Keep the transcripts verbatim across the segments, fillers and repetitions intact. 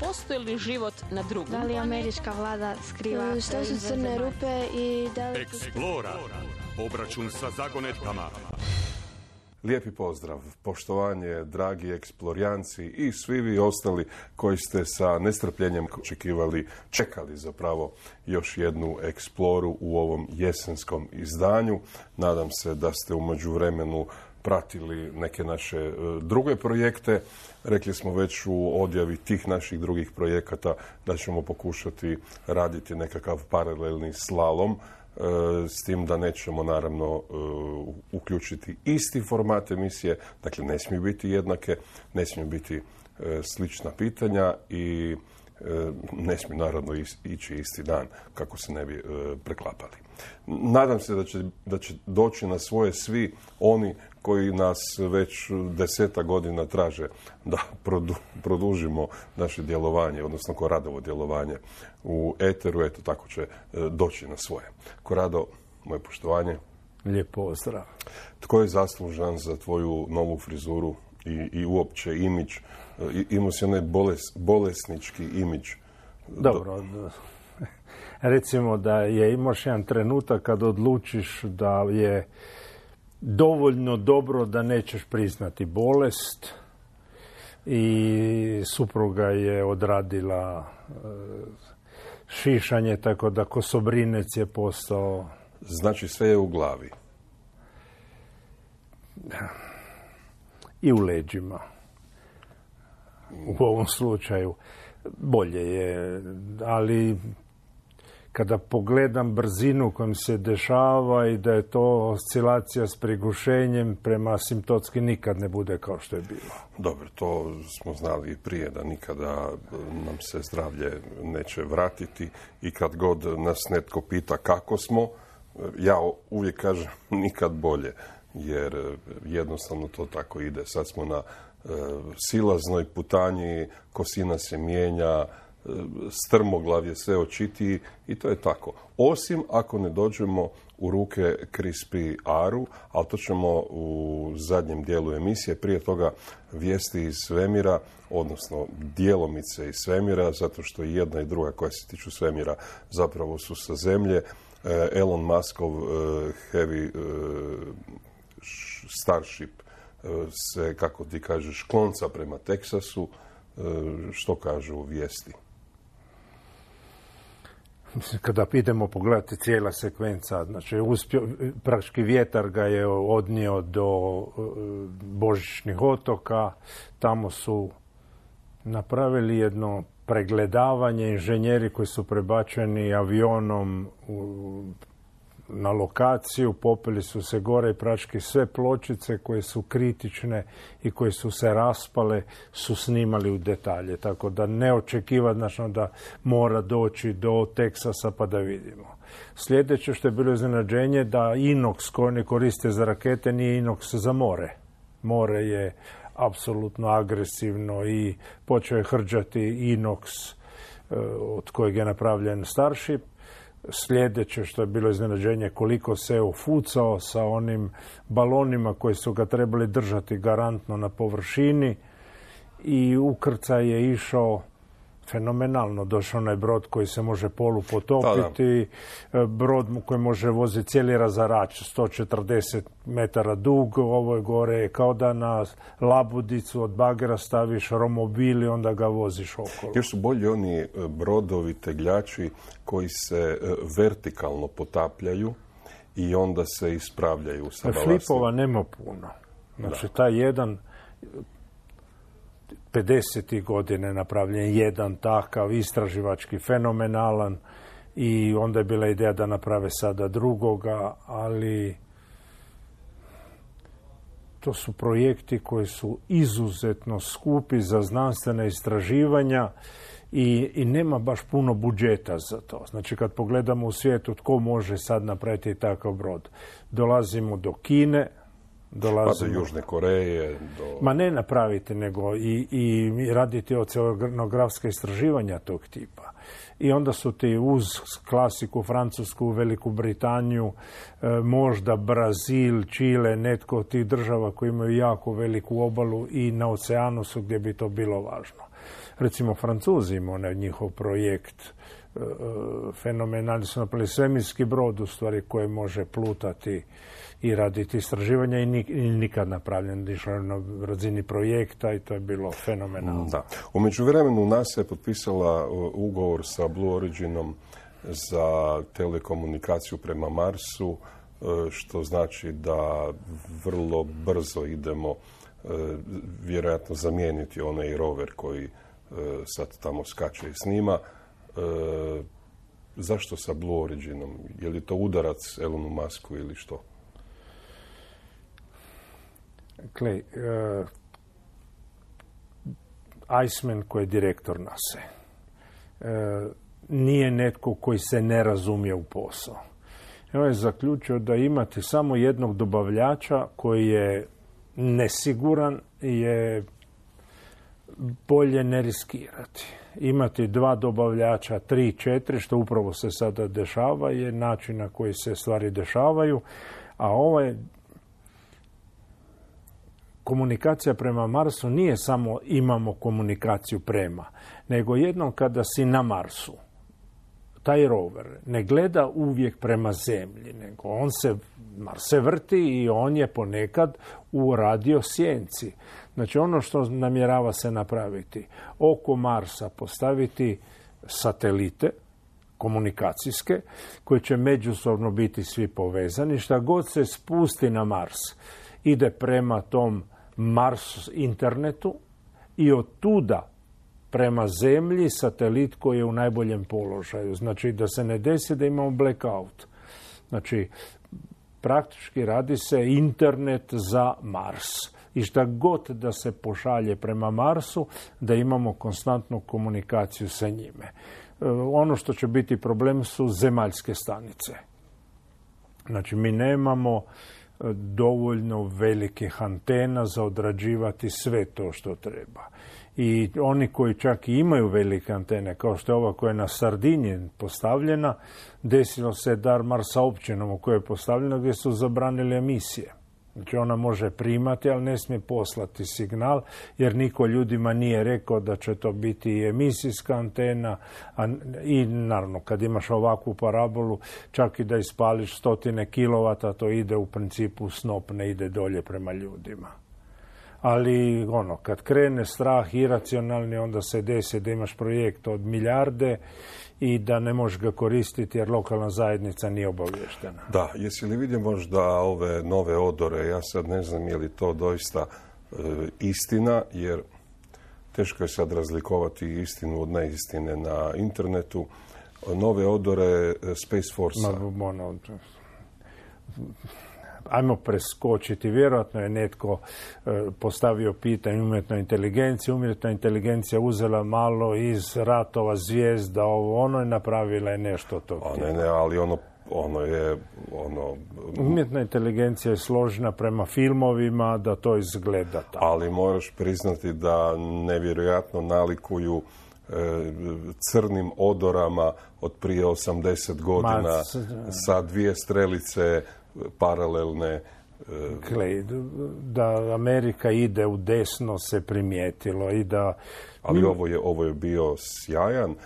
postoji li život na drugom? Da li američka vlada skriva? Što su crne rupe i da li... Eksplora. Obračun sa zagonetkama. Lijepi pozdrav, poštovanje, dragi eksplorijanci i svi vi ostali koji ste sa nestrpljenjem očekivali, čekali zapravo još jednu eksploru u ovom jesenskom izdanju. Nadam se da ste u međuvremenu pratili neke naše druge projekte. Rekli smo već u odjavi tih naših drugih projekata da ćemo pokušati raditi nekakav paralelni slalom, s tim da nećemo naravno uključiti isti format emisije, dakle ne smiju biti jednake, ne smiju biti slična pitanja i ne smiju naravno ići isti dan kako se ne bi preklapali. Nadam se da će, da će doći na svoje svi oni koji nas već deseta godina traže da produ, produžimo naše djelovanje, odnosno Koradovo djelovanje u eteru, eto tako će doći na svoje. Korado, moje poštovanje. Lijep pozdrav. Tko je zaslužan za tvoju novu frizuru i, i uopće imidž? Imao si onaj boles, bolesnički imidž. Dobro, recimo da je imaš jedan trenutak kad odlučiš da je dovoljno dobro da nećeš priznati bolest i supruga je odradila šišanje, tako da kosobrinec je postao... Znači sve je u glavi. I u leđima. U ovom slučaju bolje je, ali kada pogledam brzinu kojom se dešava i da je to oscilacija s prigušenjem, prema asimptotski nikad ne bude kao što je bilo. Dobro, to smo znali i prije, da nikada nam se zdravlje neće vratiti i kad god nas netko pita kako smo, ja uvijek kažem nikad bolje, jer jednostavno to tako ide. Sad smo na silaznoj putanji, kosina se mijenja, strmoglav je sve očitiji i to je tako. Osim ako ne dođemo u ruke Krispi Aru, ali to ćemo u zadnjem dijelu emisije. Prije toga vijesti iz svemira, odnosno djelomice iz svemira, zato što i jedna i druga koja se tiču svemira zapravo su sa zemlje. Elon Muskov Heavy Starship se, kako ti kažeš, klonca prema Teksasu. Što kažu vijesti? Kada idemo pogledati cijela sekvenca, znači uspio, praktički vjetar ga je odnio do Božićnih otoka, tamo su napravili jedno pregledavanje, inženjeri koji su prebačeni avionom u, na lokaciju, popeli su se gore i praktički sve pločice koje su kritične i koje su se raspale su snimali u detalje. Tako da neočekivati znači, da mora doći do Teksasa pa da vidimo. Sljedeće što je bilo iznenađenje da inoks koji oni koriste za rakete nije inoks za more. More je apsolutno agresivno i počeo je hrđati inoks od kojeg je napravljen Starship. Sljedeće što je bilo iznenađenje koliko se ofucao sa onim balonima koji su ga trebali držati garantno na površini i ukrcaj je išao fenomenalno. Došao onaj brod koji se može polu potopiti, brod koji može voziti cijeli razarač, sto četrdeset metara dug, ovo je gore kao da na labudicu od bagera staviš romobil i onda ga voziš okolo. Još su bolji oni brodovi, tegljači koji se vertikalno potapljaju i onda se ispravljaju sa balastom. Flipova nema puno. Znači, taj jedan pedesetih godine napravljen jedan takav istraživački fenomenalan i onda je bila ideja da naprave sada drugoga, ali to su projekti koji su izuzetno skupi za znanstvena istraživanja i, i nema baš puno budžeta za to. Znači kad pogledamo u svijetu tko može sad napraviti takav brod, dolazimo do Kine, dolazimo... Pa do Južne Koreje, do... Ma ne napraviti, nego i, i raditi oceanografska istraživanja tog tipa. I onda su ti uz klasiku Francusku, Veliku Britaniju, možda Brazil, Čile, netko od tih država koji imaju jako veliku obalu i na oceanu su gdje bi to bilo važno. Recimo Francuzi imaju onaj njihov projekt, fenomenalni su napravili svemirski brod u stvari koji može plutati i raditi istraživanja i nikad napravljen, išlo na razini projekta i to je bilo fenomenalno. Da. U međuvremenu NASA je potpisala ugovor sa Blue Originom za telekomunikaciju prema Marsu, što znači da vrlo brzo idemo vjerojatno zamijeniti onaj rover koji sad tamo skače i snima. Zašto sa Blue Originom? Je li to udarac Elonu Musku ili što? Clay, uh, Iceman koji je direktor NASA uh, nije netko koji se ne razumije u posao. On je zaključio da imati samo jednog dobavljača koji je nesiguran je bolje ne riskirati. Imati dva dobavljača, tri, četiri, što upravo se sada dešava, je način na koji se stvari dešavaju, a ovaj komunikacija prema Marsu nije samo imamo komunikaciju prema, nego jednom kada si na Marsu, taj rover ne gleda uvijek prema zemlji, nego on se, Mars se vrti i on je ponekad u radiosjenci. Znači ono što namjerava se napraviti, oko Marsa postaviti satelite komunikacijske koji će međusobno biti svi povezani. Šta god se spusti na Mars ide prema tom Mars internetu i od tuda prema zemlji satelit koji je u najboljem položaju. Znači da se ne desi da imamo blackout. Znači praktički radi se internet za Mars. I šta god da se pošalje prema Marsu, da imamo konstantnu komunikaciju sa njime. Ono što će biti problem su zemaljske stanice. Znači mi nemamo dovoljno velikih antena za odrađivati sve to što treba. I oni koji čak i imaju velike antene, kao što je ova koja je na Sardiniji postavljena, desilo se dar Marsa općinom u kojoj je postavljena gdje su zabranili emisije. Znači ona može primati, ali ne smije poslati signal, jer niko ljudima nije rekao da će to biti i emisijska antena. A, I naravno, kad imaš ovakvu parabolu, čak i da ispališ stotine kilovata, to ide u principu snop, ne ide dolje prema ljudima. Ali ono, kad krene strah iracionalni, onda se desi da imaš projekt od milijarde i da ne možeš ga koristiti jer lokalna zajednica nije obavještena. Da, jesi li vidio možda ove nove odore? Ja sad ne znam je li to doista e, istina, jer teško je sad razlikovati istinu od neistine na internetu. Nove odore Space Force-a. Ma, ono, ajmo preskočiti. Vjerojatno je netko e, postavio pitanje umjetnoj inteligenciji. Umjetna inteligencija uzela malo iz ratova zvijezda, ovo ono je napravila je nešto to. Ne, ne, ali ono, ono je... Ono... Umjetna inteligencija je složena prema filmovima da to izgleda tako. Ali moraš priznati da nevjerojatno nalikuju e, crnim odorama od prije osamdeset godina. Ma, s... sa dvije strelice paralelne. Gle, da Amerika ide u desno se primijetilo i da... Ali mi... ovo, je, ovo je bio sjajan uh,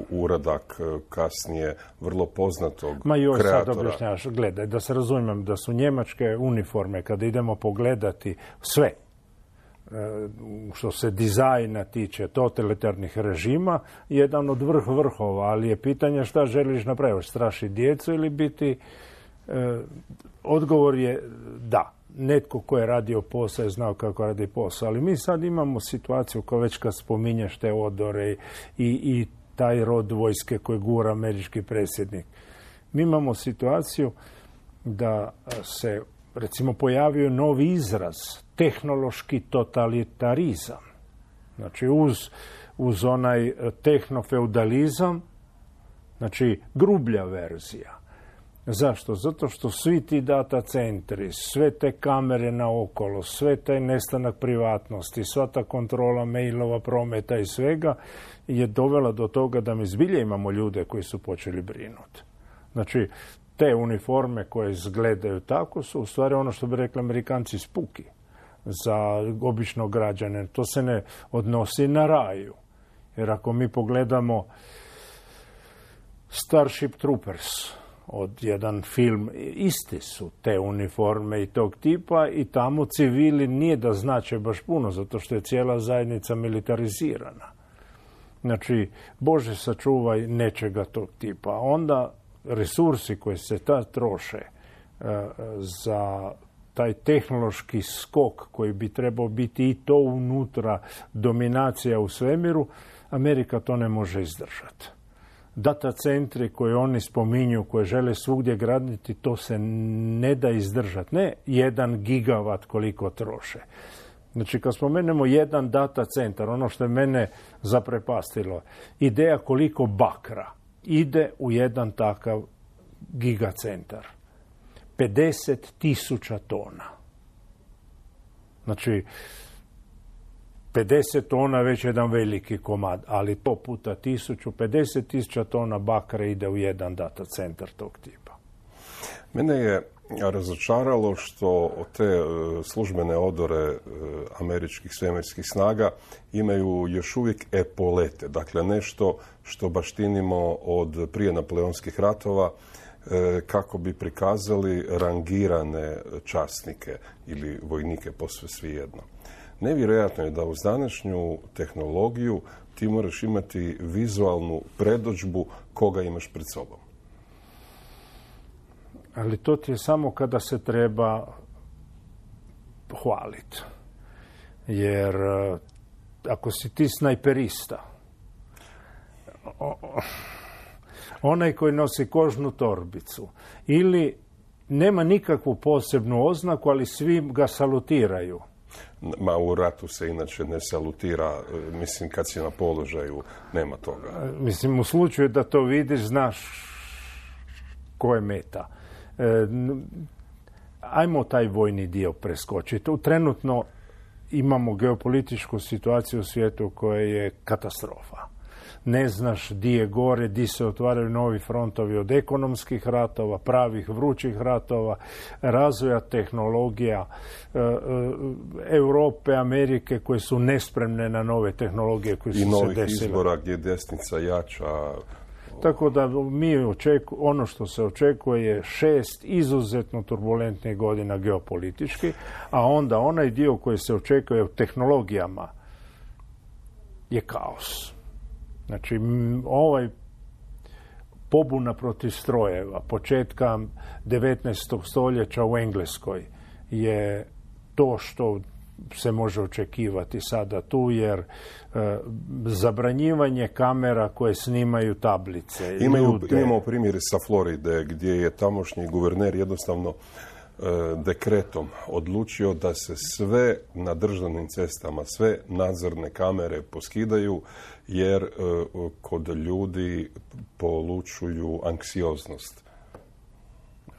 uradak kasnije vrlo poznatog Ma joj, kreatora. Sad objašnjavaš, gledaj, da se razumijem da su njemačke uniforme, kada idemo pogledati sve, što se dizajna tiče totalitarnih režima, jedan od vrh vrhova, ali je pitanje šta želiš napraviti, straši djecu ili biti... E, odgovor je da. Netko ko je radio posao je znao kako radi posao, ali mi sad imamo situaciju kao već kad spominješ te odore i, i taj rod vojske koji gura američki predsjednik. Mi imamo situaciju da se recimo pojavio novi izraz, tehnološki totalitarizam. Znači uz, uz onaj tehnofeudalizam, znači grublja verzija. Zašto? Zato što svi ti data centri, sve te kamere naokolo, sve taj nestanak privatnosti, sva ta kontrola mailova, prometa i svega je dovela do toga da mi zbilje imamo ljude koji su počeli brinuti. Znači, te uniforme koje izgledaju tako su u stvari ono što bi rekli Amerikanci spuki. za običnog građana. To se ne odnosi na raju. Jer ako mi pogledamo Starship Troopers, od jedan film, isti su te uniforme i tog tipa i tamo civili nije da znače baš puno, zato što je cijela zajednica militarizirana. Znači, Bože sačuvaj nečega tog tipa. Onda resursi koji se tad troše uh, za taj tehnološki skok koji bi trebao biti i to unutra dominacija u svemiru, Amerika to ne može izdržati. Data centri koje oni spominju, koje žele svugdje graditi, to se ne da izdržati. Ne jedan gigavat koliko troše. Znači, kad spomenemo jedan data centar, ono što je mene zaprepastilo, ideja koliko bakra ide u jedan takav gigacentar. pedeset tisuća tona. Znači, pedeset tona već jedan veliki komad, ali to puta tisuću, pedeset tisuća tona bakra ide u jedan data centar tog tipa. Mene je razočaralo što te službene odore američkih svemirskih snaga imaju još uvijek epolete, dakle nešto što baštinimo od prije napoleonskih ratova, kako bi prikazali rangirane časnike ili vojnike, posve svejedno. Nevjerojatno je da uz današnju tehnologiju ti moraš imati vizualnu predodžbu koga imaš pred sobom. Ali to ti je samo kada se treba hvaliti. Jer ako si ti snajperista, onaj koji nosi kožnu torbicu ili nema nikakvu posebnu oznaku, ali svi ga salutiraju. Ma u ratu se inače ne salutira, mislim kad si na položaju nema toga. Mislim u slučaju da to vidiš, znaš ko je meta. E, ajmo taj vojni dio preskočiti. Trenutno imamo geopolitičku situaciju u svijetu koja je katastrofa. Ne znaš di je gore, di se otvaraju novi frontovi od ekonomskih ratova, pravih vrućih ratova, razvoja tehnologija, e, e, Europe, Amerike koje su nespremne na nove tehnologije koje su se desile. I novih izbora gdje desnica jača. Tako da mi očeku, ono što se očekuje je šest izuzetno turbulentnih godina geopolitički, a onda onaj dio koji se očekuje u tehnologijama je kaos. Znači, ovaj pobuna protiv strojeva početka devetnaestog stoljeća u Engleskoj je to što se može očekivati sada tu, jer e, zabranjivanje kamera koje snimaju tablice. Imaju, ljude. Imamo primjer sa Floride gdje je tamošnji guverner jednostavno e, dekretom odlučio da se sve na državnim cestama, sve nadzorne kamere poskidaju jer e, kod ljudi polučuju anksioznost.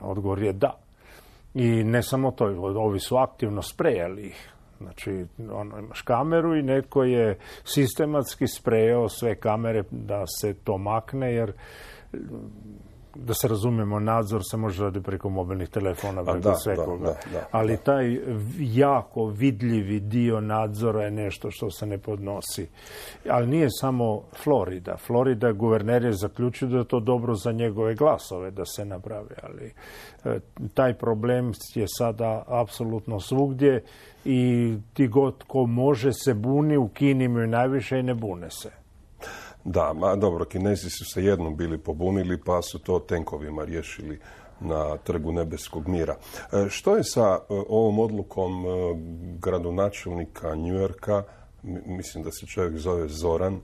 Odgovor je da. I ne samo to, ovi su aktivno sprejali ih. Znači, ono, imaš kameru i netko je sistematski sprejao sve kamere da se to makne, jer da se razumijemo, nadzor se može raditi preko mobilnih telefona, preko svekoga. Ali taj jako vidljivi dio nadzora je nešto što se ne podnosi. Ali nije samo Florida. Florida, guverner je zaključio da je to dobro za njegove glasove da se napravi. Ali e, taj problem je sada apsolutno svugdje i ti god ko može se buni, u Kini imaju najviše i ne bune se. Da, ma dobro, Kinezi su se jednom bili pobunili, pa su to tenkovima riješili na Trgu nebeskog mira. E, što je sa e, ovom odlukom e, gradonačelnika New Yorka, mislim da se čovjek zove Zoran, e,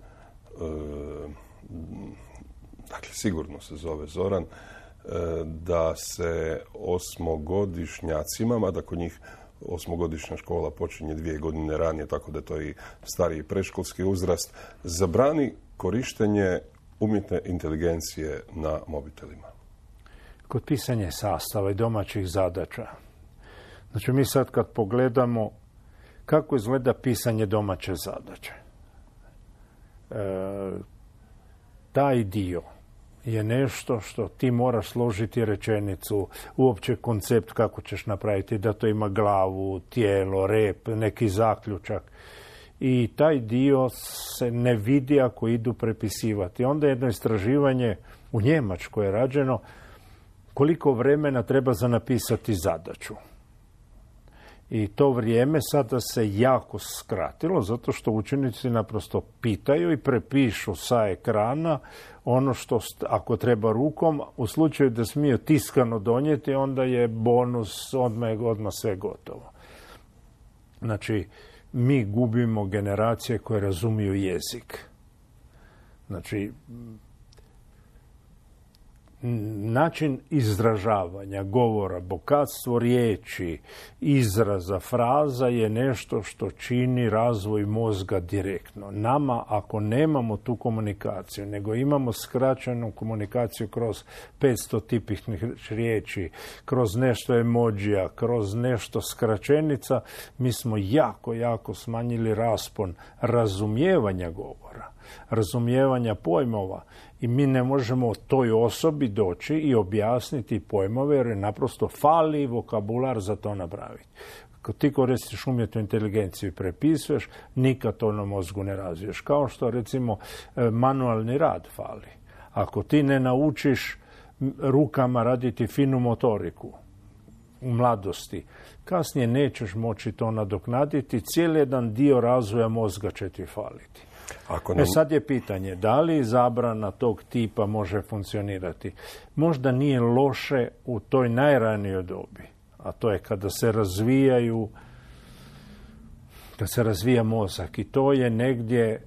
dakle sigurno se zove Zoran, e, da se osmogodišnjacima, mada kod njih osmogodišnja škola počinje dvije godine ranije, tako da je to i stariji predškolski uzrast, zabrani korištenje umjetne inteligencije na mobitelima. Kod pisanja sastava i domaćih zadaća. Znači, mi sad kad pogledamo kako izgleda pisanje domaće zadaće, e, taj dio je nešto što ti moraš složiti rečenicu, uopće koncept kako ćeš napraviti, da to ima glavu, tijelo, rep, neki zaključak. I taj dio se ne vidi ako idu prepisivati. Onda jedno istraživanje u Njemačkoj je rađeno koliko vremena treba za napisati zadaću. I to vrijeme sada se jako skratilo, zato što učenici naprosto pitaju i prepišu sa ekrana ono što, ako treba rukom, u slučaju da smiju tiskano donijeti, onda je bonus, odmah je odmah sve gotovo. Znači, mi gubimo generacije koje razumiju jezik. Znači, način izražavanja, govora, bogatstvo riječi, izraza, fraza je nešto što čini razvoj mozga direktno. Nama, ako nemamo tu komunikaciju, nego imamo skraćenu komunikaciju kroz petsto tipičnih riječi, kroz nešto emodžija, kroz nešto skraćenica, mi smo jako, jako smanjili raspon razumijevanja govora, razumijevanja pojmova. I mi ne možemo toj osobi doći i objasniti pojmove jer je naprosto fali vokabular za to napraviti. Kad ti koristiš umjetnu inteligenciju i prepisuješ, nikad to na mozgu ne razviješ. Kao što recimo manualni rad fali. Ako ti ne naučiš rukama raditi finu motoriku u mladosti, kasnije nećeš moći to nadoknaditi, cijeli jedan dio razvoja mozga će ti faliti. Ako nam... E sad je pitanje, da li zabrana tog tipa može funkcionirati? Možda nije loše u toj najranijoj dobi, a to je kada se razvijaju, kada se razvija mozak i to je negdje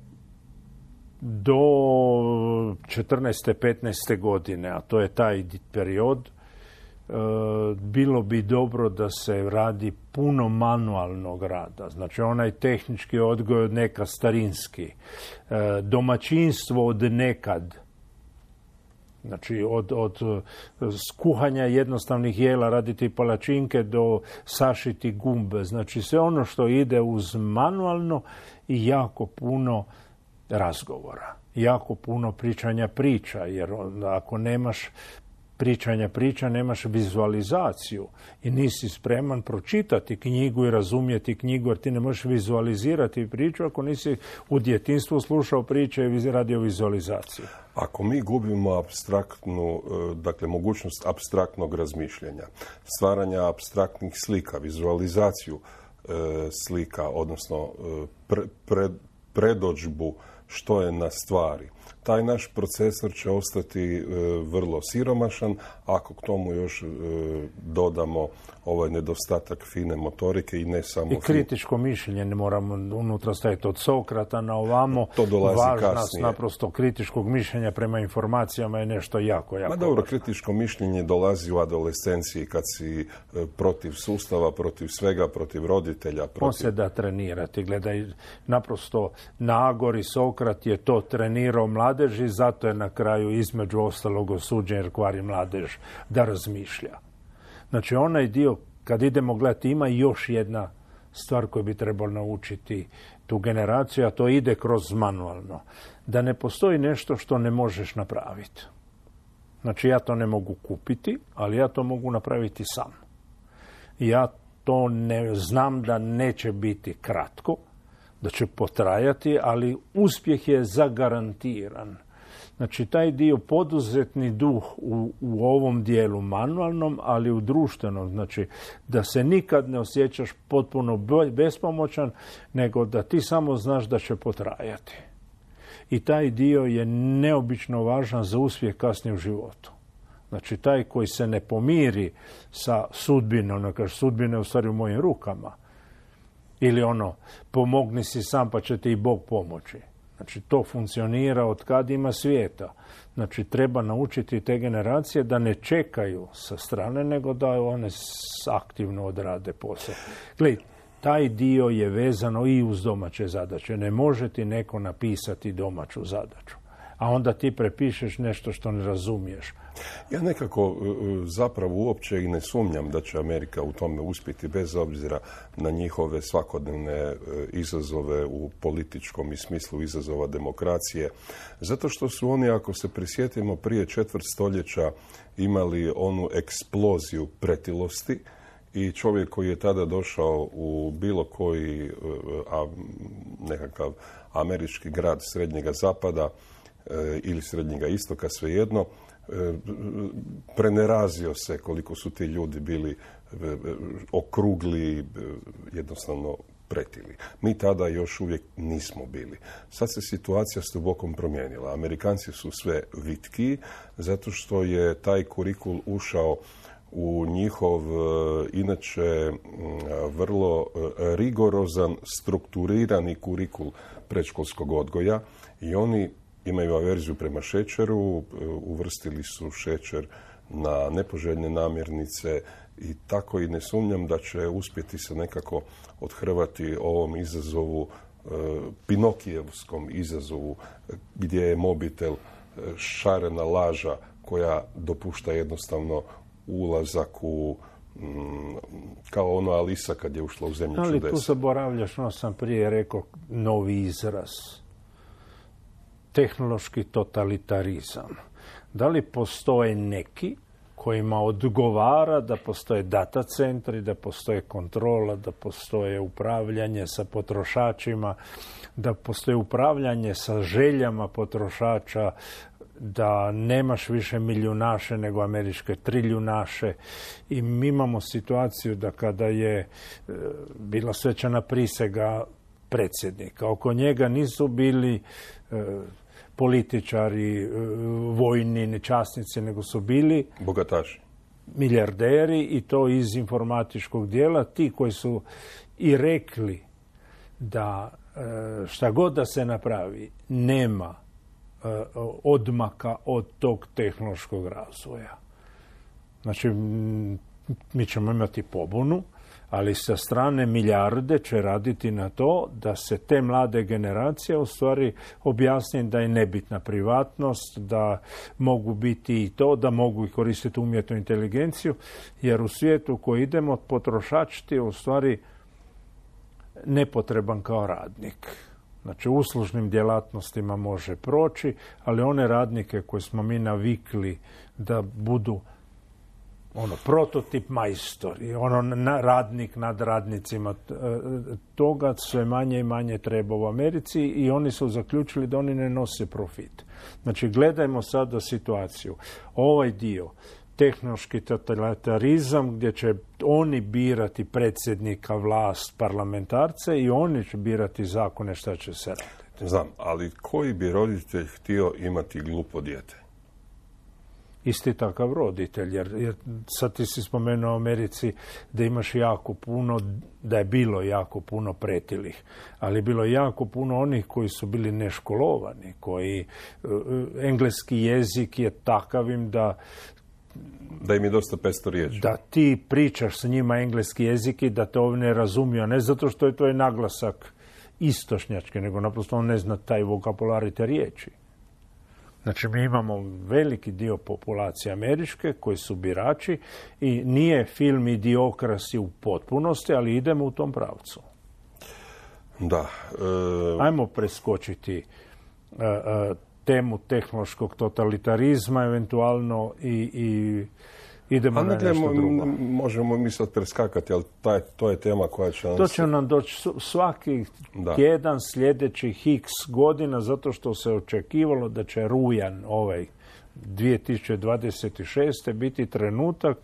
do četrnaeste petnaeste godine, a to je taj period, bilo bi dobro da se radi puno manualnog rada. Znači onaj tehnički odgoj od nekad starinski, domaćinstvo od nekad, znači od, od skuhanja jednostavnih jela, raditi palačinke do sašiti gumbe. Znači sve ono što ide uz manualno i jako puno razgovora, jako puno pričanja priča, jer ako nemaš pričanja priča, nemaš vizualizaciju i nisi spreman pročitati knjigu i razumjeti knjigu, jer ti ne možeš vizualizirati priču ako nisi u djetinjstvu slušao priče i radio vizualizaciju. Ako mi gubimo apstraktnu, dakle mogućnost apstraktnog razmišljanja, stvaranja apstraktnih slika, vizualizaciju e, slika, odnosno pre, pred, predodžbu što je na stvari, taj naš procesor će ostati e, vrlo siromašan, ako k tomu još e, dodamo ovaj nedostatak fine motorike i ne samo... I kritičko mišljenje, ne moramo unutra staviti od Sokrata na ovamo. To dolazi važnost kasnije. Naprosto kritičkog mišljenja prema informacijama je nešto jako, jako Ma dobro, važno. kritičko mišljenje dolazi u adolescenciji kad si e, protiv sustava, protiv svega, protiv roditelja. Protiv... On se da trenirati. Gledaj, naprosto na Agori Sokrat je to trenirao mladeži, zato je na kraju između ostalog osuđen jer kvari mladež da razmišlja. Znači onaj dio, kad idemo gledati, ima još jedna stvar koju bi trebalo naučiti tu generaciju, a to ide kroz manualno. Da ne postoji nešto što ne možeš napraviti. Znači ja to ne mogu kupiti, ali ja to mogu napraviti sam. Ja to ne znam da neće biti kratko, da će potrajati, ali uspjeh je zagarantiran. Znači, taj dio poduzetni duh u, u ovom dijelu manualnom, ali u društvenom, znači da se nikad ne osjećaš potpuno bespomoćan, nego da ti samo znaš da će potrajati. I taj dio je neobično važan za uspjeh kasnije u životu. Znači, taj koji se ne pomiri sa sudbinom, ono kaže, sudbina je u stvari u mojim rukama. Ili ono, pomogni si sam pa će ti i Bog pomoći. Znači, to funkcionira od kad ima svijeta. Znači, treba naučiti te generacije da ne čekaju sa strane, nego da one aktivno odrade posao. Gledaj, taj dio je vezano i uz domaće zadaće. Ne može ti neko napisati domaću zadaću. a onda ti prepišeš nešto što ne razumiješ. Ja nekako zapravo uopće i ne sumnjam da će Amerika u tome uspjeti bez obzira na njihove svakodnevne izazove u političkom i smislu izazova demokracije. Zato što su oni, ako se prisjetimo, prije četvrt stoljeća imali onu eksploziju pretilosti i čovjek koji je tada došao u bilo koji a, nekakav američki grad srednjega zapada e, ili srednjega istoka, svejedno, e, prenerazio se koliko su ti ljudi bili e, okrugli, e, jednostavno pretili. Mi tada još uvijek nismo bili. Sad se situacija s dubokom promijenila. Amerikanci su sve vitkiji zato što je taj kurikul ušao u njihov, inače, vrlo rigorozan, strukturirani kurikul predškolskog odgoja i oni imaju averziju prema šećeru, uvrstili su šećer na nepoželjne namirnice i tako i ne sumnjam da će uspjeti se nekako odhrvati ovom izazovu, pinokijevskom izazovu, gdje je mobitel šarena laža koja dopušta jednostavno ulazak u, mm, kao ono Alisa kad je ušla u zemlju čudesa. Ali tu zaboravljaš, no sam prije rekao, novi izraz. Tehnološki totalitarizam. Da li postoje neki kojima odgovara da postoje data centri, da postoje kontrola, da postoje upravljanje sa potrošačima, da postoje upravljanje sa željama potrošača, da nemaš više milijunaše nego američke triljunaše i mi imamo situaciju da kada je e, bila svečana prisega predsjednika, oko njega nisu bili e, političari, e, vojni, časnici, nego su bili bogataši, milijarderi i to iz informatičkog dijela, ti koji su i rekli da e, šta god da se napravi nema odmaka od tog tehnološkog razvoja. Znači, mi ćemo imati pobunu, ali sa strane milijarde će raditi na to da se te mlade generacije u stvari objasni da je nebitna privatnost, da mogu biti i to, da mogu i koristiti umjetnu inteligenciju, jer u svijetu u koji idemo potrošač ti je u stvari nepotreban kao radnik. Znači, u uslužnim djelatnostima može proći, ali one radnike koje smo mi navikli da budu ono, prototip majstori, ono, na, radnik nad radnicima, toga sve manje i manje treba u Americi i oni su zaključili da oni ne nose profit. Znači, gledajmo sada situaciju. Ovaj dio, tehnološki totalitarizam, gdje će oni birati predsjednika, vlast, parlamentarce i oni će birati zakone šta će se raditi. Znam, ali koji bi roditelj htio imati glupo dijete? Isti takav roditelj, jer, jer sad ti si spomenuo u Americi da imaš jako puno, da je bilo jako puno pretilih, ali je bilo jako puno onih koji su bili neškolovani, koji uh, engleski jezik je takavim da Da im je dosta pesto riječi. Da ti pričaš s njima engleski jezik i da te ovdje ne razumiju, ne zato što je to je naglasak istočnjački, nego naprosto on ne zna taj vokabular i te riječi. Znači, mi imamo veliki dio populacije američke koji su birači i nije film Idiokrasi u potpunosti, ali idemo u tom pravcu. Da. E... Ajmo preskočiti uh, uh, temu tehnološkog totalitarizma, eventualno i, i idemo na nešto mo, drugo. Možemo mi sad preskakati, ali taj, to je tema koja će nam... To će nam doći svaki da. tjedan sljedećih x godina, zato što se očekivalo da će rujan ovaj dvije tisuće dvadeset šeste biti trenutak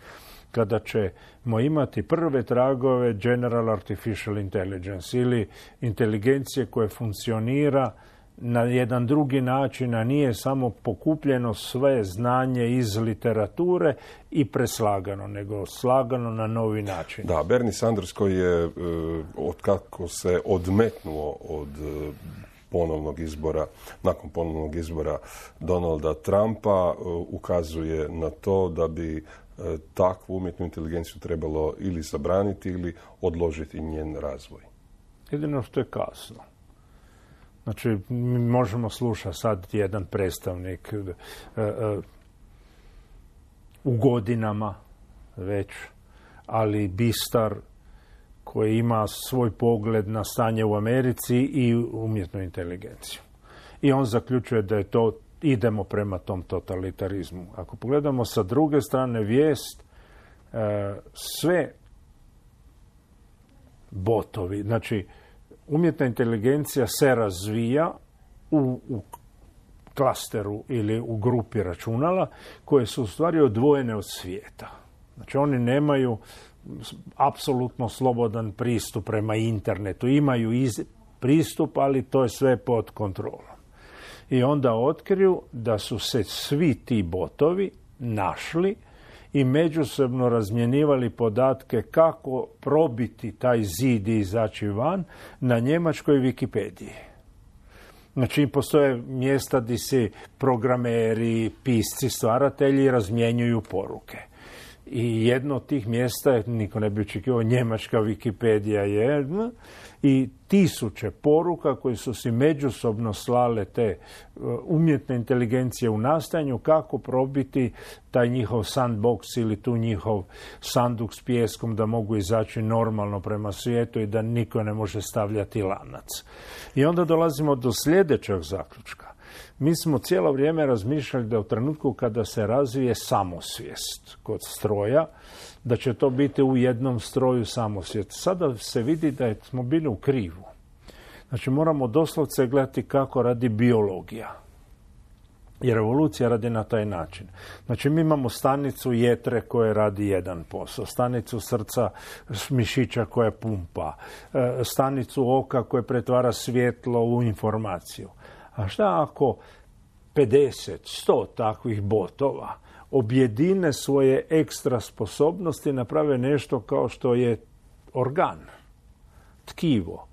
kada ćemo imati prve tragove General Artificial Intelligence ili inteligencije koje funkcionira na jedan drugi način, a nije samo pokupljeno sve znanje iz literature i preslagano, nego slagano na novi način. Da, Bernie Sanders koji je, od kako se odmetnuo od ponovnog izbora, nakon ponovnog izbora Donalda Trumpa, ukazuje na to da bi takvu umjetnu inteligenciju trebalo ili zabraniti ili odložiti njen razvoj. Jedino što je kasno. Znači, mi možemo slušati sad jedan predstavnik uh, uh, u godinama već, ali bistar koji ima svoj pogled na stanje u Americi i umjetnu inteligenciju. I on zaključuje da je to, idemo prema tom totalitarizmu. Ako pogledamo sa druge strane vijest, uh, sve botovi, znači umjetna inteligencija se razvija u, u klasteru ili u grupi računala koje su u stvari odvojene od svijeta. Znači oni nemaju apsolutno slobodan pristup prema internetu. Imaju iz, pristup, ali to je sve pod kontrolom. I onda otkriju da su se svi ti botovi našli i međusobno razmjenjivali podatke kako probiti taj zid i izaći van na njemačkoj Wikipediji. Znači, postoje mjesta gdje se programeri, pisci, stvaratelji razmjenjuju poruke. I jedno od tih mjesta je, niko ne bi očekivao, njemačka Wikipedija je, i tisuće poruka koje su si međusobno slale te umjetne inteligencije u nastajanju kako probiti taj njihov sandbox ili tu njihov sanduk s pijeskom da mogu izaći normalno prema svijetu i da niko ne može stavljati lanac. I onda dolazimo do sljedećeg zaključka. Mi smo cijelo vrijeme razmišljali da u trenutku kada se razvije samosvijest kod stroja, da će to biti u jednom stroju samosvijest. Sada se vidi da smo bili u krivu. Znači moramo doslovce gledati kako radi biologija. Jer evolucija radi na taj način. Znači mi imamo stanicu jetre koja radi jedan posao, stanicu srca mišića koja pumpa, stanicu oka koja pretvara svjetlo u informaciju. A šta ako pedeset, sto takvih botova objedine svoje ekstra sposobnosti, naprave nešto kao što je organ, tkivo,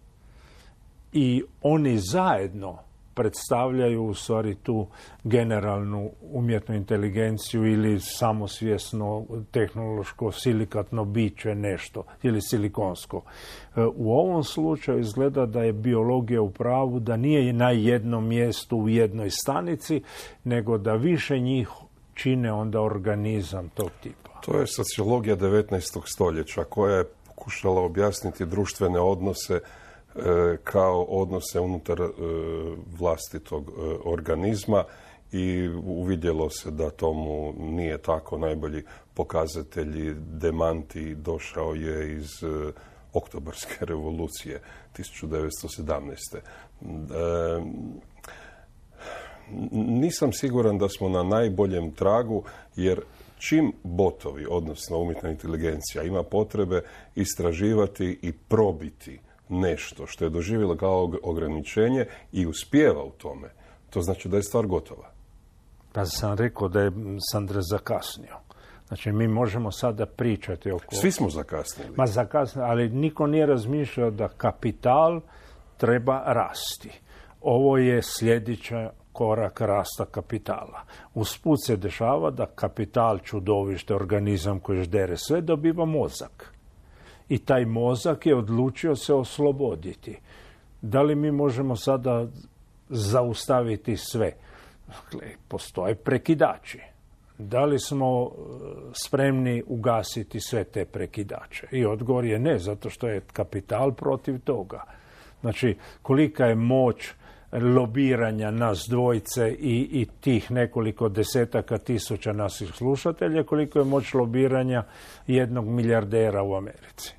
i oni zajedno predstavljaju u stvari tu generalnu umjetnu inteligenciju ili samosvjesno tehnološko silikatno biće nešto ili silikonsko. U ovom slučaju izgleda da je biologija u pravu, da nije na jednom mjestu u jednoj stanici, nego da više njih čine onda organizam tog tipa. To je sociologija devetnaestog stoljeća koja je pokušala objasniti društvene odnose kao odnose unutar vlastitog organizma i uvidjelo se da tomu nije tako. Najbolji pokazatelji demanti došao je iz Oktobarske revolucije tisuću devetsto sedamnaeste. Nisam siguran da smo na najboljem tragu, jer čim botovi, odnosno umjetna inteligencija, ima potrebe istraživati i probiti nešto što je doživjelo kao ograničenje i uspijeva u tome, to znači da je stvar gotova. Pa sam rekao da je Sandra zakasnio. Znači, mi možemo sada pričati oko... Svi smo zakasnili. Ma zakasnili, ali niko nije razmišljao da kapital treba rasti. Ovo je sljedeća korak rasta kapitala. Usput se dešava da kapital, čudovište, organizam koji ždere sve, dobiva mozak. I taj mozak je odlučio se osloboditi. Da li mi možemo sada zaustaviti sve? Dakle, postoje prekidači. Da li smo spremni ugasiti sve te prekidače? I odgovor je ne, zato što je kapital protiv toga. Znači, kolika je moć lobiranja nas dvojice i, i tih nekoliko desetaka tisuća naših slušatelja, koliko je moć lobiranja jednog milijardera u Americi.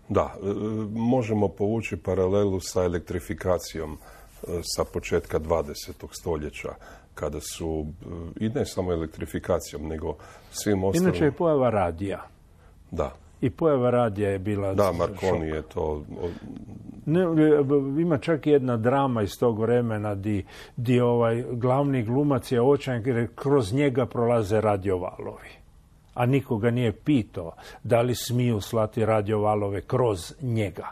Da, možemo povući paralelu sa elektrifikacijom sa početka dvadesetog stoljeća, kada su, i ne samo elektrifikacijom, nego svim ostalim... Inače je pojava radija. Da. I pojava radija je bila... Da, Marconi je to... Ne, ima čak jedna drama iz tog vremena di, di ovaj glavni glumac je očajan jer kroz njega prolaze radiovalovi. A nikoga nije pitao da li smiju slati radiovalove kroz njega.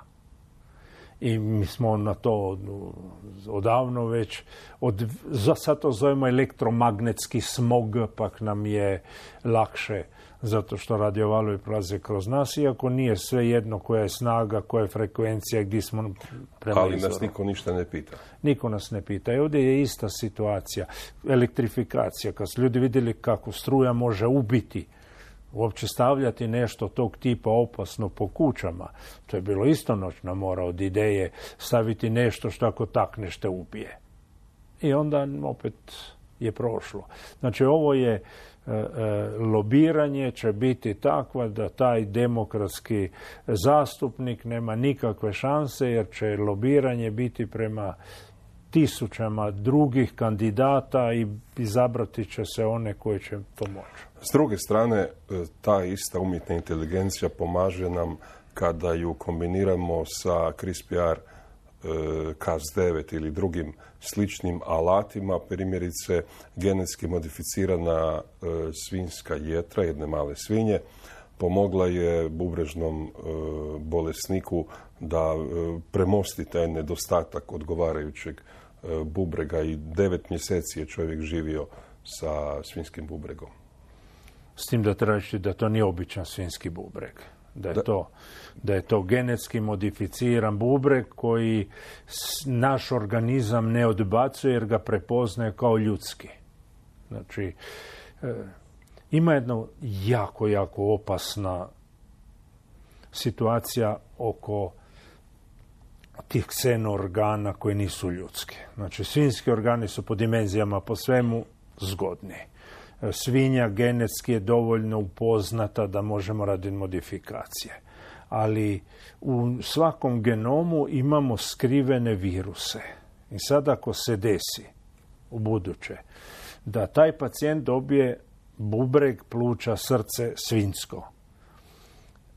i mi smo na to odavno već, od, za sad to zovemo elektromagnetski smog, pak nam je lakše zato što radiovalovi prolaze kroz nas, iako nije sve jedno koja je snaga, koja je frekvencija, gdje smo prema Ali izvoru. nas niko ništa ne pita. Niko nas ne pita. I ovdje je ista situacija. Elektrifikacija, kad su ljudi vidjeli kako struja može ubiti, uopće stavljati nešto tog tipa opasno po kućama, to je bilo istonoćna mora od ideje staviti nešto što ako takneš te ubije. I onda opet je prošlo. Znači ovo je e, e, lobiranje će biti takva da taj demokratski zastupnik nema nikakve šanse, jer će lobiranje biti prema tisućama drugih kandidata i izabrati će se one koji će pomoći. S druge strane, ta ista umjetna inteligencija pomaže nam kada ju kombiniramo sa CRISPR Cas devet ili drugim sličnim alatima, primjerice genetski modificirana svinjska jetra, jedne male svinje, pomogla je bubrežnom bolesniku da premosti taj nedostatak odgovarajućeg bubrega i devet mjeseci je čovjek živio sa svinjskim bubregom. S tim da treba reći da to nije običan svinjski bubreg. Da je, da. To, da je to genetski modificiran bubreg koji naš organizam ne odbacuje jer ga prepoznaje kao ljudski. Znači, e, ima jedna jako, jako opasna situacija oko tih ksenoorgana koji nisu ljudski. Znači, svinjski organi su po dimenzijama, po svemu zgodni. Svinja genetski je dovoljno upoznata da možemo raditi modifikacije. Ali u svakom genomu imamo skrivene viruse. I sad ako se desi u buduće da taj pacijent dobije bubreg, pluća, srce svinjsko,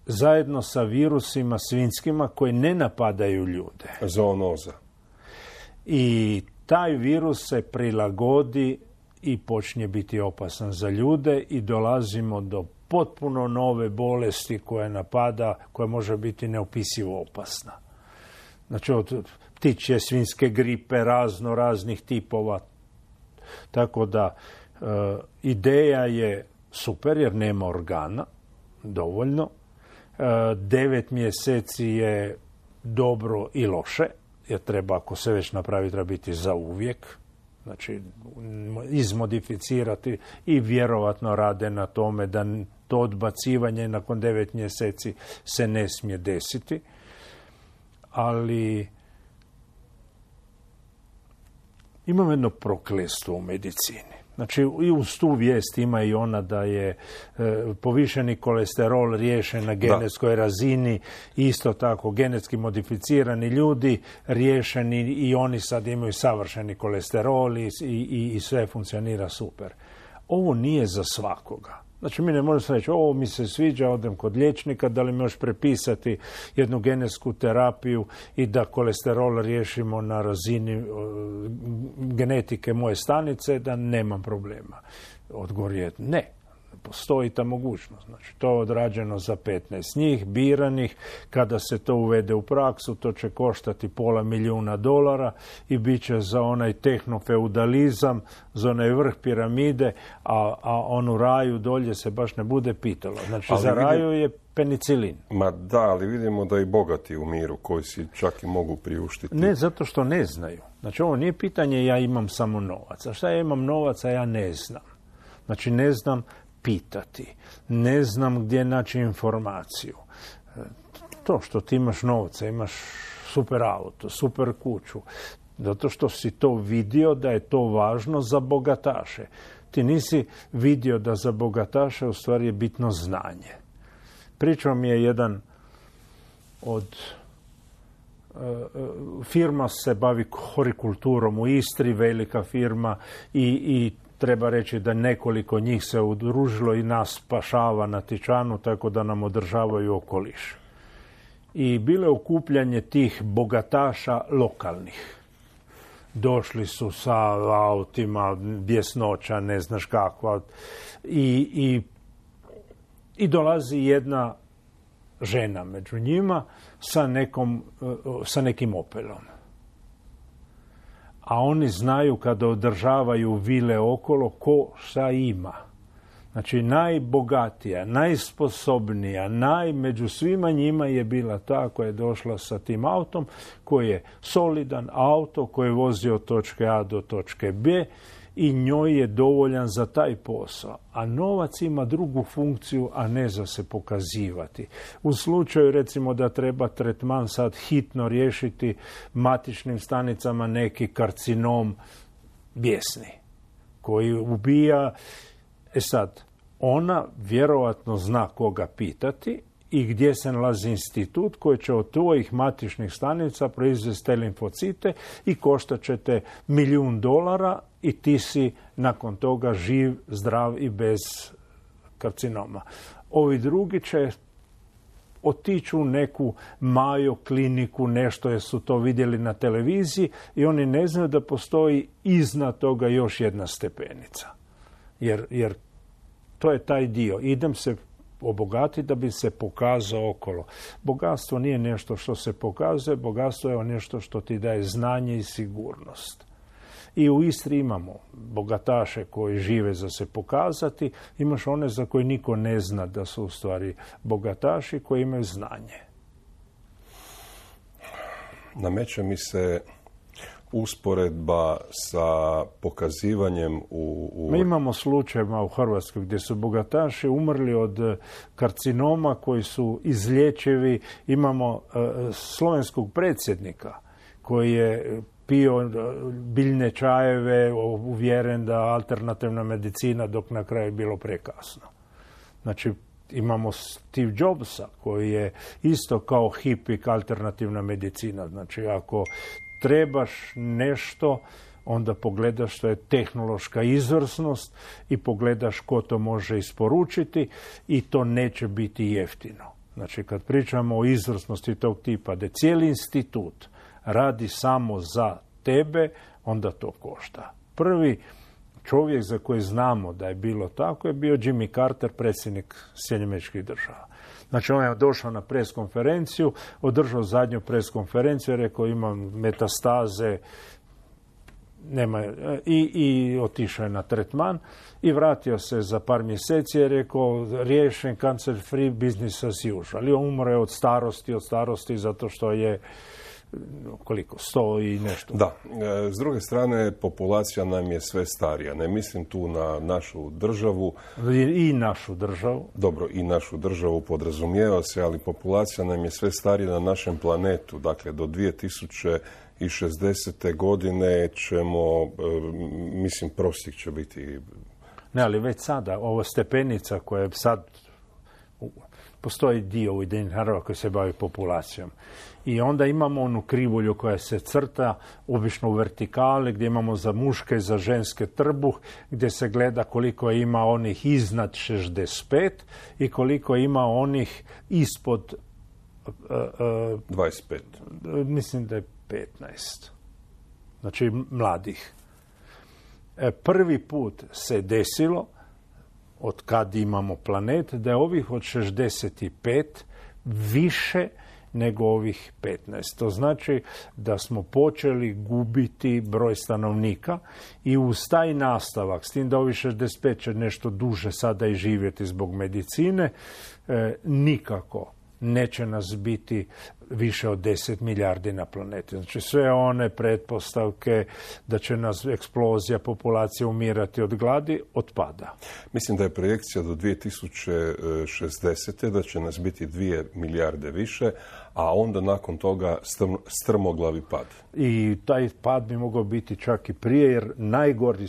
zajedno sa virusima svinjskima koji ne napadaju ljude. Zoonoza. I taj virus se prilagodi i počne biti opasan za ljude i dolazimo do potpuno nove bolesti koja napada, koja može biti neopisivo opasna. Znači od ptičje svinjske gripe, razno raznih tipova. Tako da e, ideja je super jer nema organa dovoljno. E, devet mjeseci je dobro i loše, jer treba, ako se već napravi, treba biti za uvijek. Znači, izmodificirati i vjerovatno rade na tome da to odbacivanje nakon devet mjeseci se ne smije desiti. Ali imam jedno prokletstvo u medicini. Znači, i uz tu vijest ima i ona da je e, povišeni kolesterol riješen na genetskoj da. razini, isto tako genetski modificirani ljudi riješeni i oni sad imaju savršeni kolesterol i, i, i sve funkcionira super. Ovo nije za svakoga. Znači, mi ne možemo reći, ovo mi se sviđa, odem kod liječnika, da li mi još prepisati jednu genetsku terapiju i da kolesterol riješimo na razini uh, genetike moje stanice, da nemam problema. Odgovor je ne. Postoji ta mogućnost. Znači, to je odrađeno za petnaest njih, biranih. Kada se to uvede u praksu, to će koštati pola milijuna dolara i bit će za onaj tehnofeudalizam, za onaj vrh piramide, a, a onu raju dolje se baš ne bude pitalo. Znači, ali za vidim, raju je penicilin. Ma da, ali vidimo da i bogati u miru, koji si čak i mogu priuštiti. Ne, zato što ne znaju. Znači, ovo nije pitanje ja imam samo novac. A šta ja imam novaca, ja ne znam. Znači, ne znam pitati. Ne znam gdje naći informaciju. To što ti imaš novca, imaš super auto, super kuću, zato što si to vidio da je to važno za bogataše. Ti nisi vidio da za bogataše u stvari je bitno znanje. Pričao mi je jedan od firma se bavi horikulturom u Istri, velika firma i, i treba reći da nekoliko njih se udružilo i nas spašava na Tičanu, tako da nam održavaju okoliš. I bilo je okupljanje tih bogataša lokalnih. Došli su sa autima, bjesnoća, ne znaš kakva. I, i, i dolazi jedna žena među njima sa, nekom, sa nekim Opelom. A oni znaju kada održavaju vile okolo ko šta ima. Znači najbogatija, najsposobnija, naj, među svima njima je bila ta koja je došla sa tim autom, koji je solidan auto, koji je vozio od točke A do točke B i njoj je dovoljan za taj posao. A novac ima drugu funkciju, a ne za se pokazivati. U slučaju recimo da treba tretman sad hitno riješiti matičnim stanicama neki karcinom bijesni koji ubija. E sad, ona vjerovatno zna koga pitati i gdje se nalazi institut koji će od tvojih matičnih stanica proizvesti te limfocite i koštat će te milijun dolara i ti si nakon toga živ, zdrav i bez karcinoma. Ovi drugi će otići u neku Mayo kliniku, nešto jer su to vidjeli na televiziji i oni ne znaju da postoji iznad toga još jedna stepenica. Jer, jer to je taj dio. Idem se obogatiti da bi se pokazao okolo. Bogatstvo nije nešto što se pokazuje, bogatstvo je nešto što ti daje znanje i sigurnost. I u Istri imamo bogataše koji žive za se pokazati, imaš one za koje niko ne zna da su u stvari bogataši koji imaju znanje. Nameće mi se usporedba sa pokazivanjem u... u... Mi imamo slučajeva u Hrvatskoj gdje su bogataši umrli od karcinoma koji su izlječivi. Imamo uh, slovenskog predsjednika koji je pio biljne čajeve, uvjeren da alternativna medicina, dok na kraju je bilo prekasno. Znači, imamo Steve Jobsa koji je isto kao hipik alternativna medicina. Znači, ako trebaš nešto, onda pogledaš što je tehnološka izvrsnost i pogledaš ko to može isporučiti i to neće biti jeftino. Znači, kad pričamo o izvrsnosti tog tipa, da cijeli institut radi samo za tebe, onda to košta. Prvi čovjek za koji znamo da je bilo tako je bio Jimmy Carter, predsjednik Sjedinjenih Američkih Država. Znači, on je došao na preskonferenciju, održao zadnju preskonferenciju, rekao imam metastaze nema, i, i otišao je na tretman i vratio se za par mjeseci i rekao riješen, cancer free, business as usual. I on umre od starosti, od starosti zato što je koliko, sto i nešto. Da, s druge strane, populacija nam je sve starija. Ne mislim tu na našu državu. I, i našu državu. Dobro, i našu državu podrazumijeva se, ali populacija nam je sve starija na našem planetu. Dakle, do dvije tisuće šezdesete godine ćemo, mislim, prosjek će biti... Ne, ali već sada, ovo stepenica koja je sad... Postoji dio Ujedinjenih naroda koji se bavi populacijom. I onda imamo onu krivulju koja se crta, obično u vertikali, gdje imamo za muške i za ženske trbuh, gdje se gleda koliko ima onih iznad šezdeset pet i koliko ima onih ispod... Uh, uh, dvadeset pet. Mislim da je petnaest. Znači, mladih. E, prvi put se desilo, od kad imamo planet, da je ovih od šezdeset pet više nego ovih petnaest. To znači da smo počeli gubiti broj stanovnika i uz taj nastavak, s tim da ovih šezdeset pet će nešto duže sada i živjeti zbog medicine, e, nikako neće nas biti više od deset milijardi na planeti. Znači sve one pretpostavke da će nas eksplozija populacije umirati od gladi otpada. Mislim da je projekcija do dvije tisuće šezdesete da će nas biti dvije milijarde više, a onda nakon toga strm, strmoglavi pad. I taj pad bi mogao biti čak i prije, jer najgori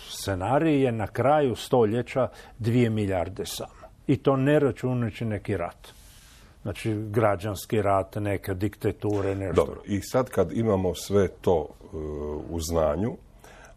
scenarij je na kraju stoljeća dvije milijarde samo. I to ne računajući neki rat. Znači, građanski rat, neke diktature, nešto. Dobro, i sad kad imamo sve to uh, u znanju,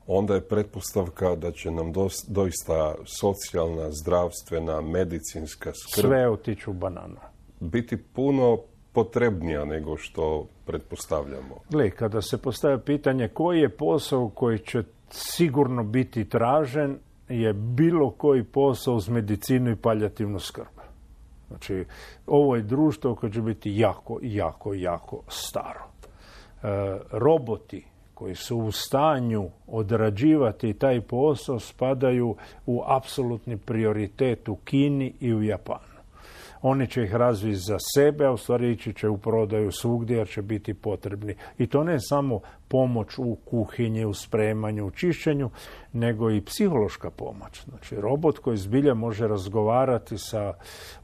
onda je pretpostavka da će nam dos, doista socijalna, zdravstvena, medicinska skrb... Sve otići u bananu. ...biti puno potrebnija nego što pretpostavljamo. Gle, kada se postavlja pitanje koji je posao koji će sigurno biti tražen, je bilo koji posao uz medicinu i paljativnu skrb. Znači, ovo je društvo koje će biti jako, jako, jako staro. E, roboti koji su u stanju odrađivati taj posao spadaju u apsolutni prioritet u Kini i u Japanu. Oni će ih razviti za sebe, a u stvari ići će u prodaju svugdje jer će biti potrebni. I to ne samo pomoć u kuhinji, u spremanju, u čišćenju, nego i psihološka pomoć. Znači, robot koji zbilja može razgovarati sa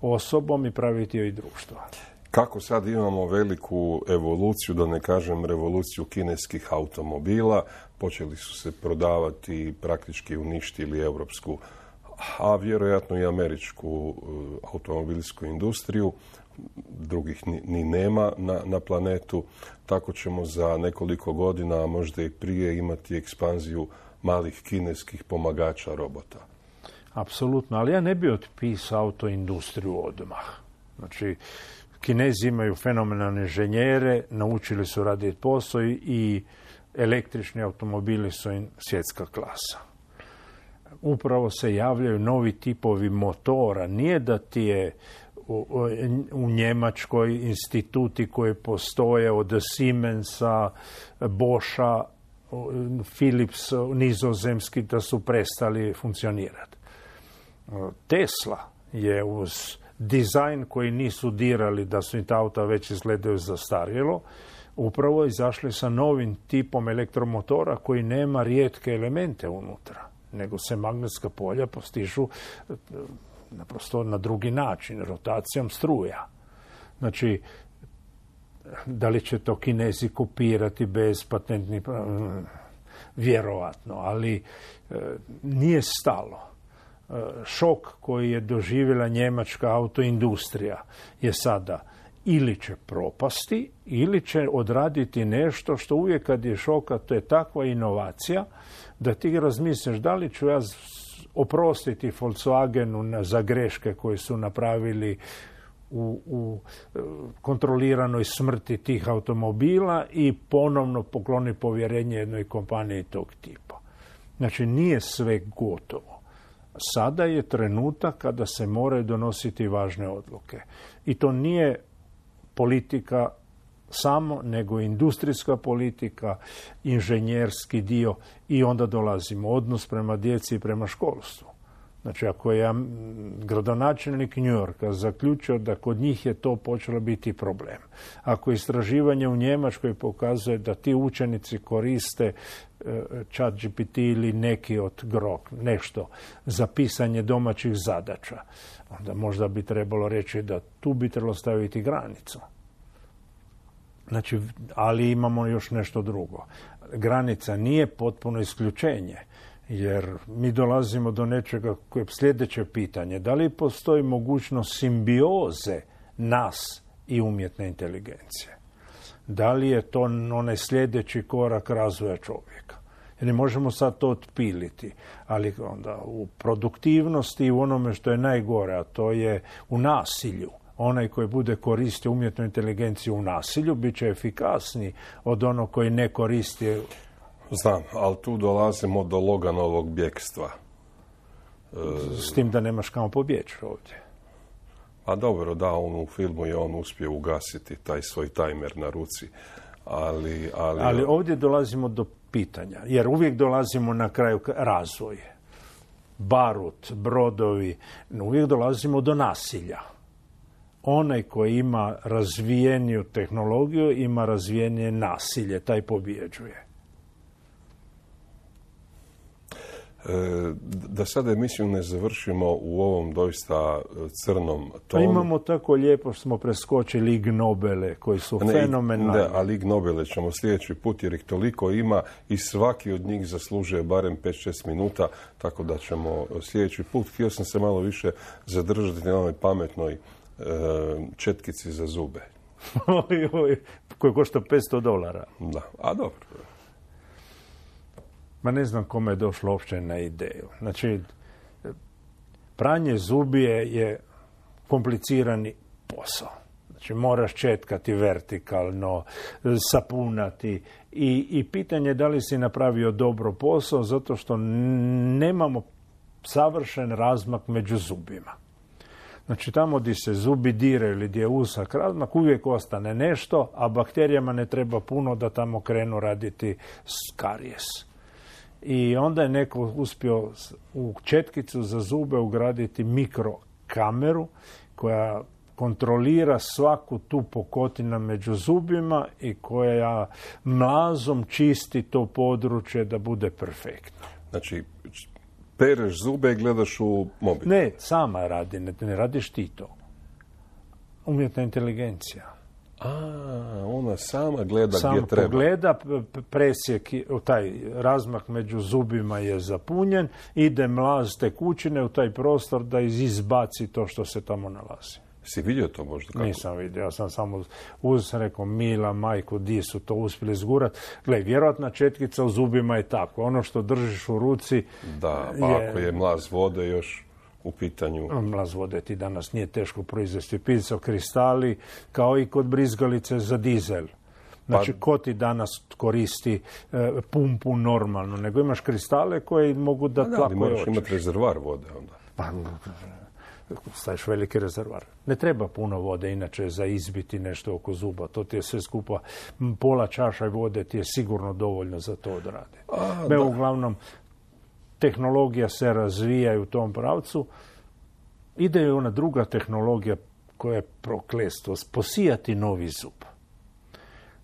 osobom i praviti joj društvo. Kako sad imamo veliku evoluciju, da ne kažem revoluciju kineskih automobila, počeli su se prodavati, praktički uništili europsku, a vjerojatno i američku automobilsku industriju, drugih ni, ni nema na, na planetu, tako ćemo za nekoliko godina, a možda i prije, imati ekspanziju malih kineskih pomagača robota. Apsolutno, ali ja ne bi otpisao autoindustriju odmah. Znači, Kinezi imaju fenomenalne inženjere, naučili su raditi posao i električni automobili su im svjetska klasa. Upravo se javljaju novi tipovi motora. Nije da ti je u, u Njemačkoj instituti koji postoje od Siemensa, Boscha, Philips, nizozemski, da su prestali funkcionirati. Tesla je uz dizajn koji nisu dirali da su im ta auta već izgledaju zastarjelo, upravo izašli sa novim tipom elektromotora koji nema rijetke elemente unutra, nego se magnetska polja postižu naprosto na drugi način, rotacijom struja. Znači, da li će to Kinezi kopirati bez patentnih, vjerovatno, ali nije stalo. Šok koji je doživjela njemačka autoindustrija je sada ili će propasti, ili će odraditi nešto što uvijek kad je šoka, to je takva inovacija da ti razmisliš da li ću ja oprostiti Volkswagenu za greške koje su napravili u, u kontroliranoj smrti tih automobila i ponovno pokloni povjerenje jednoj kompaniji tog tipa. Znači, nije sve gotovo. Sada je trenutak kada se moraju donositi važne odluke. I to nije politika samo, nego industrijska politika, inženjerski dio i onda dolazimo odnos prema djeci i prema školstvu. Znači, ako je gradonačelnik New Yorka zaključio da kod njih je to počelo biti problem, ako istraživanje u Njemačkoj pokazuje da ti učenici koriste Chat G P T ili neki od Grok, nešto za pisanje domaćih zadaća, onda možda bi trebalo reći da tu bi trebalo staviti granicu. Znači, ali imamo još nešto drugo. Granica nije potpuno isključenje, jer mi dolazimo do nečega koje je sljedeće pitanje. Da li postoji mogućnost simbioze nas i umjetne inteligencije? Da li je to onaj sljedeći korak razvoja čovjeka? Jer ne možemo sad to otpiliti, ali onda u produktivnosti i u onome što je najgore, a to je u nasilju. Onaj koji bude koristio umjetnu inteligenciju u nasilju bit će efikasniji od onog koji ne koristi. Znam, ali tu dolazimo do Loganovog bjekstva. S tim da nemaš kamo pobjeći ovdje. A dobro, da, on u filmu je on uspio ugasiti taj svoj tajmer na ruci. Ali, ali... ali ovdje dolazimo do pitanja, jer uvijek dolazimo na kraju razvoje. Barut, brodovi, uvijek dolazimo do nasilja. Onaj koji ima razvijeniju tehnologiju, ima razvijenije nasilje, taj pobjeđuje. Da sada emisiju ne završimo u ovom doista crnom tonu. Imamo tako lijepo što smo preskočili Ig Nobele koji su ne, fenomenalni. Da, ali Ig Nobele ćemo sljedeći put jer ih toliko ima i svaki od njih zaslužuje barem pet šest minuta, tako da ćemo sljedeći put. Htio sam se malo više zadržati na onoj pametnoj e, četkici za zube. oj, oj, koji košta petsto dolara. Da, a dobro. Ma ne znam kome je došlo uopće na ideju. Znači, pranje zubije je komplicirani posao. Znači, moraš četkati vertikalno, sapunati i, i pitanje je da li si napravio dobro posao zato što nemamo savršen razmak među zubima. Znači tamo gdje se zubi diraju ili gdje je usak razmak, uvijek ostane nešto, a bakterijama ne treba puno da tamo krenu raditi karijes. I onda je neko uspio u četkicu za zube ugraditi mikrokameru koja kontrolira svaku tu pukotinu među zubima i koja mlazom čisti to područje da bude perfektno. Znači, pereš zube i gledaš u mobitel? Ne, sama radi, ne, ne radiš ti to. Umjetna inteligencija. A, ona sama gleda Sam gdje treba. pogleda, presjek, taj razmak među zubima je zapunjen, ide mlaz tekućine u taj prostor da izbaci to što se tamo nalazi. Si vidio to možda? Kako? Nisam vidio, ja sam samo uz, sam rekao, mila majku, di su to uspjeli zgurat. Gle, vjerojatna četkica u zubima je tako. Ono što držiš u ruci... Da, pa je, ako je mlaz vode još u pitanju... Mlaz vode ti danas nije teško proizvesti. Pizza, kristali, kao i kod brizgalice za dizel. Znači, pa, ko ti danas koristi e, pumpu normalno, nego imaš kristale koje mogu da da, tlako moraš oči. imati rezervar vode onda. Pa, staviš veliki rezervar. Ne treba puno vode, inače, za izbiti nešto oko zuba. To ti je sve skupa, pola čaša vode ti je sigurno dovoljno za to odradi. Me, uglavnom, tehnologija se razvija u tom pravcu. Ide i ona druga tehnologija koja je prokletstvo, posijati novi zub.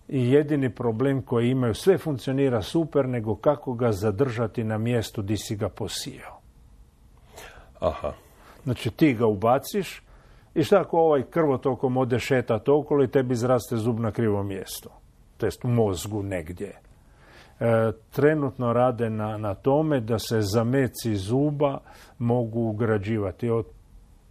I jedini problem koji imaju, sve funkcionira super, nego kako ga zadržati na mjestu di si ga posijao. Aha. Znači ti ga ubaciš i šta ako ovaj krvotokom ode šetat okolo i tebi izraste zub na krivo mjesto. To jest u mozgu negdje. E, trenutno rade na, na tome da se zameci zuba mogu ugrađivati. Od,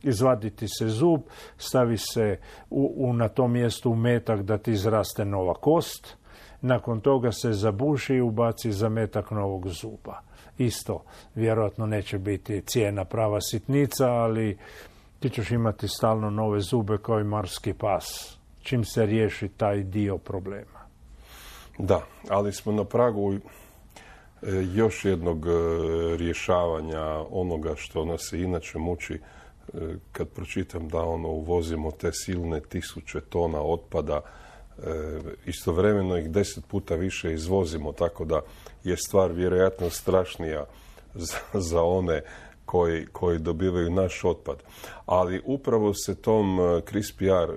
izvaditi se zub, stavi se u, u, na tom mjestu umetak da ti izraste nova kost. Nakon toga se zabuši i ubaci zametak novog zuba. Isto, vjerojatno neće biti cijena prava sitnica, ali ti ćeš imati stalno nove zube kao i marski pas, čim se riješi taj dio problema. Da, ali smo na pragu još jednog rješavanja onoga što nas se inače muči kad pročitam da ono uvozimo te silne tisuće tona otpada, istovremeno ih deset puta više izvozimo, tako da je stvar vjerojatno strašnija za, za one koji, koji dobivaju naš otpad. Ali upravo se tom CRISPR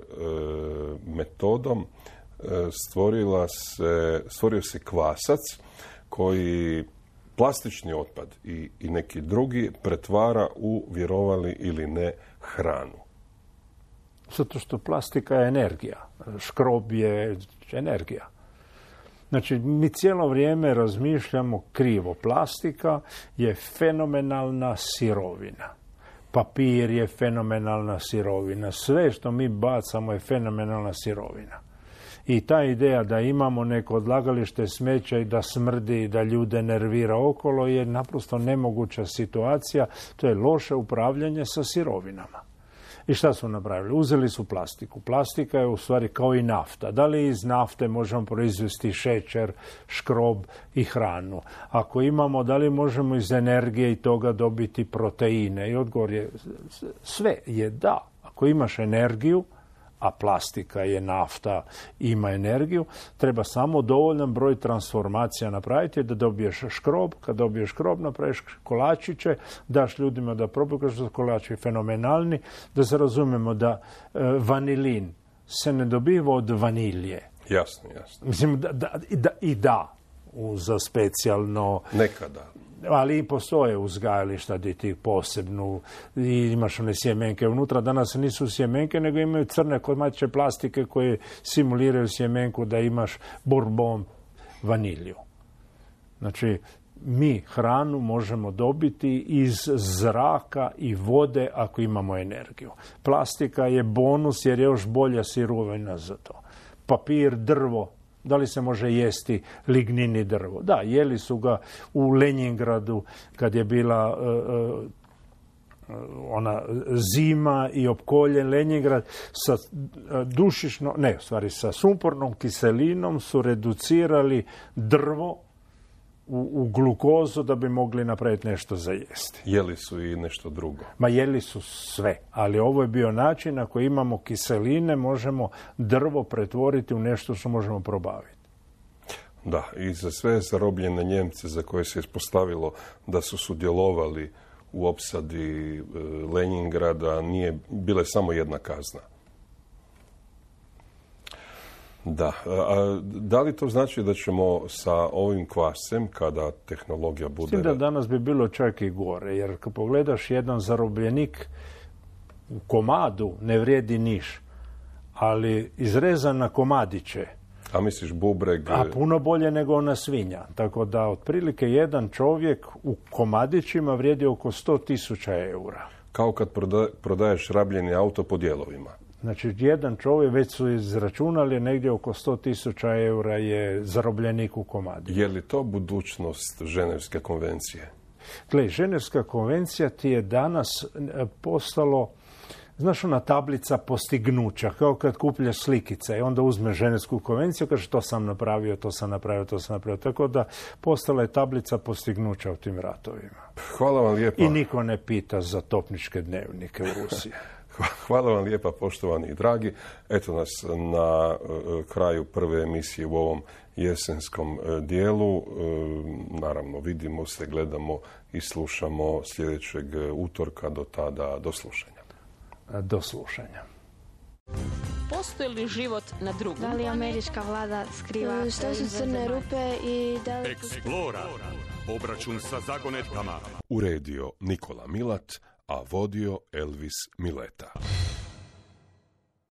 metodom stvorila se, stvorio se kvasac koji plastični otpad i, i neki drugi pretvara u, vjerovali ili ne, hranu. Zato što plastika je energija. Škrob je energija. Znači, mi cijelo vrijeme razmišljamo krivo. Plastika je fenomenalna sirovina. Papir je fenomenalna sirovina. Sve što mi bacamo je fenomenalna sirovina. I ta ideja da imamo neko odlagalište smeća i da smrdi i da ljude nervira okolo je naprosto nemoguća situacija. To je loše upravljanje sa sirovinama. I šta su napravili? Uzeli su plastiku. Plastika je u stvari kao i nafta. Da li iz nafte možemo proizvesti šećer, škrob i hranu? Ako imamo, da li možemo iz energije i toga dobiti proteine? I odgovor je sve je da. Ako imaš energiju, a plastika je nafta, ima energiju, treba samo dovoljan broj transformacija napraviti da dobiješ škrob. Kad dobiješ škrob, napraviš kolačiće, daš ljudima da probaju, kažu da su kolači fenomenalni, da se razumemo da e, vanilin se ne dobiva od vanilje. Jasno, jasno. Mislim, da, da, i da, i da za specijalno... Nekada. Ali i postoje uzgajališta gdje ti posebnu i imaš one sjemenke unutra. Danas nisu sjemenke, nego imaju crne komadiće plastike koje simuliraju sjemenku da imaš bourbon vanilju. Znači, mi hranu možemo dobiti iz zraka i vode ako imamo energiju. Plastika je bonus jer je još bolja sirovina za to. Papir, drvo. Da li se može jesti lignini drvo? Da, jeli su ga u Lenjingradu kad je bila uh, uh, ona zima i opkoljen Lenjingrad sa uh, dušično, ne, u stvari sa sumpornom kiselinom su reducirali drvo u, u glukozu da bi mogli napraviti nešto za jesti. Jeli su i nešto drugo? Ma jeli su sve, ali ovo je bio način ako imamo kiseline možemo drvo pretvoriti u nešto što možemo probaviti. Da, i za sve zarobljene Njemce za koje se ispostavilo da su sudjelovali u opsadi Leningrada nije bila samo jedna kazna. Da. A da li to znači da ćemo sa ovim kvasem, kada tehnologija bude... Mislim da danas bi bilo čak i gore, jer kad pogledaš jedan zarobljenik u komadu ne vrijedi niš, ali izrezan na komadiće. A misliš bubreg... A puno bolje nego ona svinja. Tako da otprilike jedan čovjek u komadićima vrijedi oko sto tisuća eura. Kao kad prodaješ rabljeni auto po dijelovima. Znači, jedan čovjek, već su izračunali, negdje oko sto tisuća eura je zarobljenik u komadi. Je li to budućnost Ženevske konvencije? Gle, Ženevska konvencija ti je danas postalo, znaš, ona tablica postignuća, kao kad kupljaš slikice i onda uzmeš Ženevsku konvenciju, kaže to sam napravio, to sam napravio, to sam napravio. Tako da postala je tablica postignuća u tim ratovima. Hvala vam lijepa. I niko ne pita za topničke dnevnike u Rusiji. Hvala vam lijepa, poštovani i dragi. Eto nas na kraju prve emisije u ovom jesenskom dijelu. Naravno, vidimo se, gledamo i slušamo sljedećeg utorka. Do tada, do slušanja. Do slušanja. Postoji li život na drugom? Da li američka vlada skriva što su crne rupe i da li... Eksplora. Obračun sa zagonetkama. Uredio Nikola Milat, a vodio Elvis Mileta.